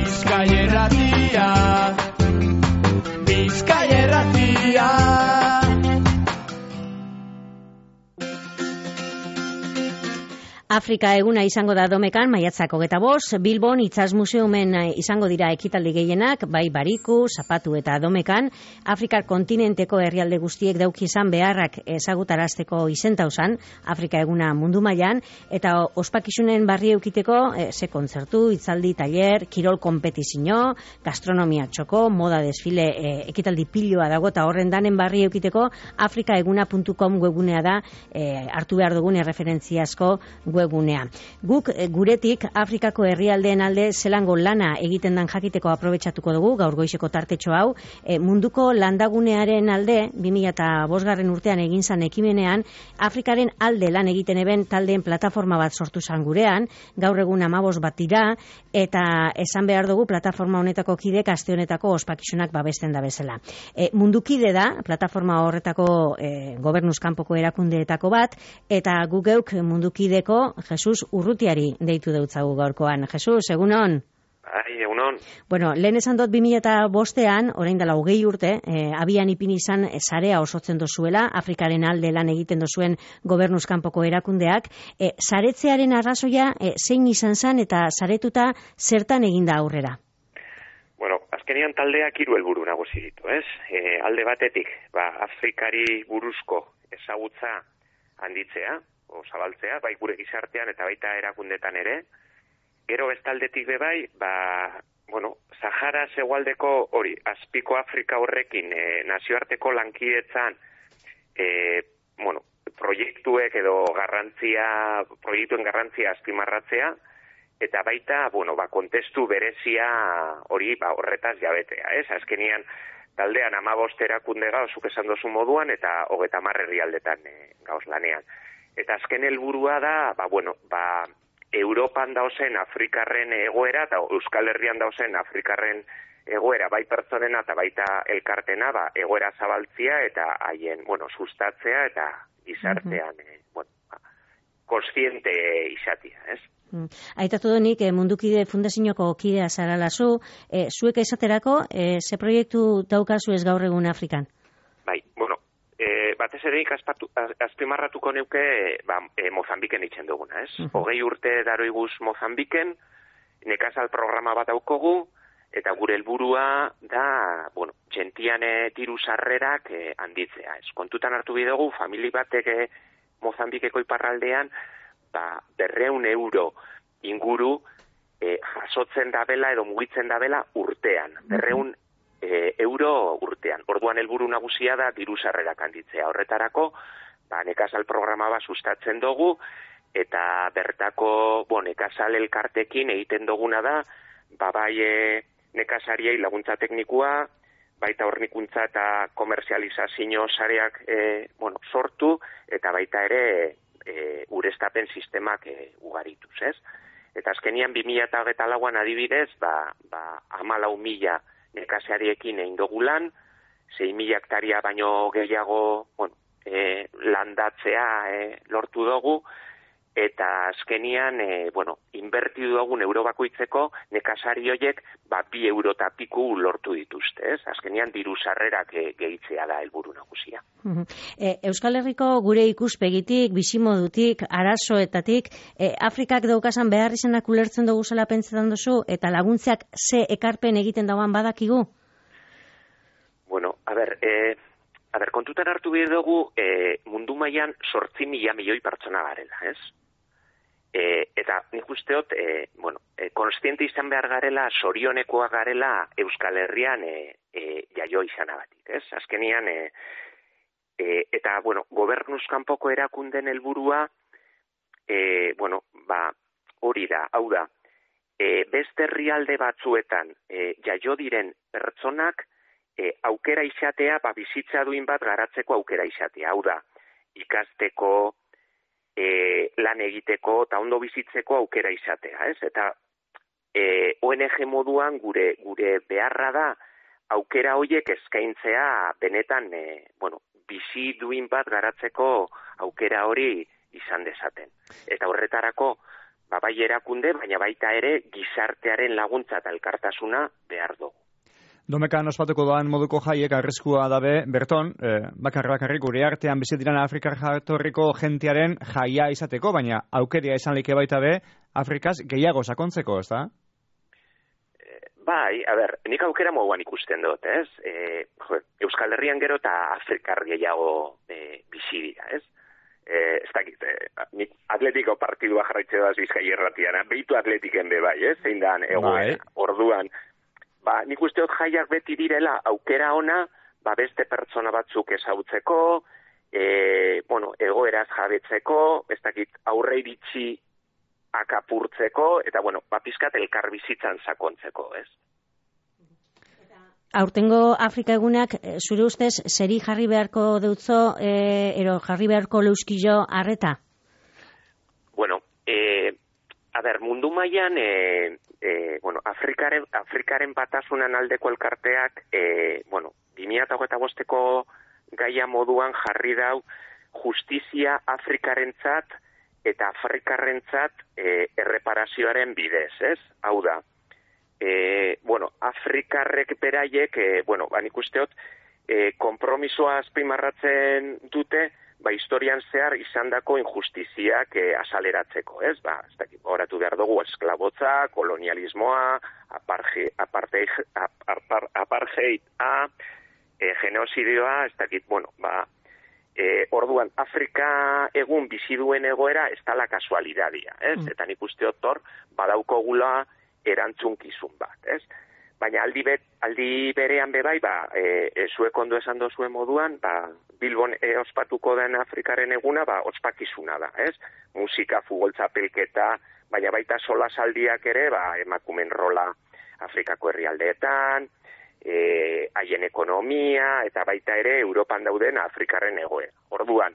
Bizkaia Irratia, Bizkaia Irratia. Afrika eguna izango da Domekan, maiatzak 25, Bilbon Itsas Museumen izango dira ekitaldi gehienak, bai Bariku, Zapatu eta Domekan. Afrikar kontinenteko herrialde guztiek dauki izan beharrak ezagutarazteko izentausan, Afrika eguna mundu mailan, eta ospakizunen barri eukiteko ze kontzertu, hitzaldi, taller, kirol konpetizio, gastronomia txoko, moda desfile, ekitaldi piloa dago, eta horren danen barri eukiteko afrikaeguna.com webgunea da hartu behar dugun erreferentziazko webgunea. Guk guretik Afrikako herrialdeen alde zelango lana egiten dan jakiteko aprobetxatuko dugu, gaur goizeko tartetxo hau, munduko landagunearen alde, 2005 urtean egin zan ekimenean, Afrikaren alde lan egiten eben taldeen plataforma bat sortu zan gurean, gaur egun 15 bat dira, eta esan behar dugu plataforma honetako kidek aste honetako ospakizunak babesten da bezala. Mundukide da, plataforma horretako gobernuz kanpoko erakundeetako bat, eta guk geuk mundukideko Jesus Urrutiari deitu deutzagu gaurkoan. Jesus, egunon? Bai, egunon. Bueno, lehen esan dut 2005an, orain dela 20 urte, abian ipini izan sarea osotzen dozuela, Afrikaren alde lan egiten dozuen gobernuz kanpoko erakundeak. Saretzearen arrazoia zein izan zen eta saretuta zertan eginda aurrera? Bueno, azkenean taldeak 3 helburu nagusi ditu, ez? Alde batetik, Afrikari buruzko ezagutza handitzea, zabaltzea, bai gure gizartean eta baita erakundetan ere. Gero bestaldetik bai, Sahara hegoaldeko hori, azpiko Afrika horrekin nazioarteko lankidetzan proiektuek edo proiektuen garrantzia azpimarratzea, eta baita, kontestu berezia hori horretaz jabetea, ez? Azkenian taldean 15 erakunde gauz, zuk esan dozu moduan, eta 30 herrialdetan gauz lanean. Eta azken helburua da, Europan dauzen Afrikarren egoera, eta Euskal Herrian dauzen Afrikarren egoera, bai pertsonena eta baita elkartena, egoera zabaltzia eta haien, sustatzea eta gizartean, kontziente izatea, ez? Aitatu donik, Mundukide Fundazioko kidea zaralazu, zuek esaterako, ze proiektu daukazu ez gaur egun Afrikan? Bai, batez ere azpimarratuko neuke Mozambiken itzen duguna, ez? 20 urte daroiguz Mozambiken, nekazal programa bat daukogu, eta gure helburua da, gentian diru sarrerak handitzea, ez? Kontutan hartu bidugu, famili batek Mozambikeko iparraldean, 200 euro inguru jasotzen dabela edo mugitzen dabela urtean, 200 euro urtean. Orduan helburu nagusia da diru sarrerak handitzea. Horretarako, nekazal programa bat sustatzen dugu, eta bertako nekazal elkartekin egiten duguna da, bai nekazariei laguntza teknikua, baita hornikuntza eta komerzializazio sareak sortu, eta baita ere ureztapen sistemak ugarituz, ez? Eta azkenian 2024an adibidez, 14.000 nekazariekin egin dugu lan, 6.000 hektaria baino gehiago landatzea lortu dugu, eta azkenian, inbertidu dugun euro bakoitzeko nekazari horiek 2 euro eta piku lortu dituzte, ez? Azkenian diru sarrerak gehitzea da helburu nagusia. Euskal Herriko gure ikuspegitik, bizimodutik, arazoetatik, Afrikak daukasan behar izanak ulertzen dugu zela pentsetan duzu, eta laguntzeak ze ekarpen egiten dauan badakigu? Kontutan hartu behar dugu, mundu mailan 8.000 milioi pertsona garela, ez? Eta nik usteot, konstiente izan behar garela, sorionekoa garela Euskal Herrian jaio izanagatik, ez? Azkenian, gobernuz kanpoko erakunden helburua, hori da, hau da, beste herrialde batzuetan jaio diren pertsonak aukera izatea, bizitza duin bat garatzeko aukera izatea, hau da, ikasteko, lan egiteko eta ondo bizitzeko aukera izatea, ez? Eta ONG moduan gure beharra da aukera horiek eskaintzea benetan, bizi duin bat garatzeko aukera hori izan dezaten. Eta horretarako, bai erakunde, baina baita ere gizartearen laguntza eta elkartasuna behar dugu. Domekan ospatuko doan moduko jaiek arriskua dabe, berton, bakarrik gure artean bizi diran Afrikar jatorriko jentearen jaia izateko, baina aukeria izan like baita be, Afrikaz gehiago sakontzeko, ez da? Bai, nik aukera moduan ikusten dut, ez? Euskal Herrian gero eta Afrikar gehiago bizi dira, ez? Ez dakit, nik atletiko partidua jarraitze doaz Bizkai irratian, behitu atletiken be bai, ez? Zein dan egoera, orduan. Nik uste dut jaiak beti direla aukera ona, beste pertsona batzuk ezagutzeko, egoeraz jabetzeko, ez dakit aurre iritsi akapurtzeko, eta pizkat elkar bizitzan sakontzeko, ez? Aurtengo Afrika egunak, zure ustez, zeri jarri beharko deutzo, ero jarri beharko leuskillo arreta? Mundu mailan, Afrikaren batasunan aldeko elkarteak, 2025ko gaia moduan jarri dau justizia Afrikarentzat eta Afrikarrentzat erreparazioaren bidez, ez? Hau da, Afrikarrek beraiek, nik usteot, konpromisoa azpimarratzen dute, historian zehar izandako injustiziak asaleratzeko, ez? Ez dakit, horatu behar dugu, esklabotza, kolonialismoa, apartheida, genozidioa, ez dakit, orduan, Afrika egun bizi duen egoera ez dala kasualidadia, ez? Eta nik usteot hor, badaukogula erantzunkizun bat, ez? Baina aldi berean bebai, zuek ondo esan dozuen moduan, Bilbon ospatuko den Afrikaren eguna, ospakizuna da, ez? Musika, futbol txapelketa, baina baita solasaldiak ere, emakumen rola Afrikako herrialdeetan, haien ekonomia, eta baita ere Europan dauden Afrikarren egoera. Orduan,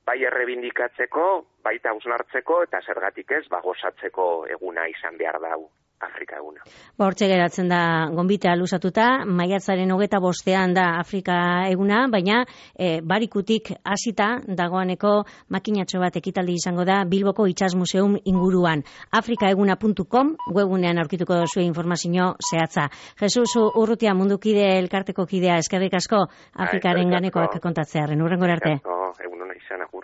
bai errebindikatzeko, baita hausnartzeko, eta zergatik ez, gozatzeko eguna izan behar dau. Afrika eguna. Hortxe geratzen da gonbitea luzatuta, maiatzaren 25 da Afrika eguna, baina barikutik hasita dagoaneko makinatxo bat ekitaldi izango da Bilboko Itsas Museum inguruan. afrikaeguna.com webunean aurkituko duzue informazio zehatza. Jesus Urrutia Mundukide elkarteko kidea, eskerrik asko Afrikaren ganekoak kontatzearen. Hurrengora arte. Egun ona izan, agur.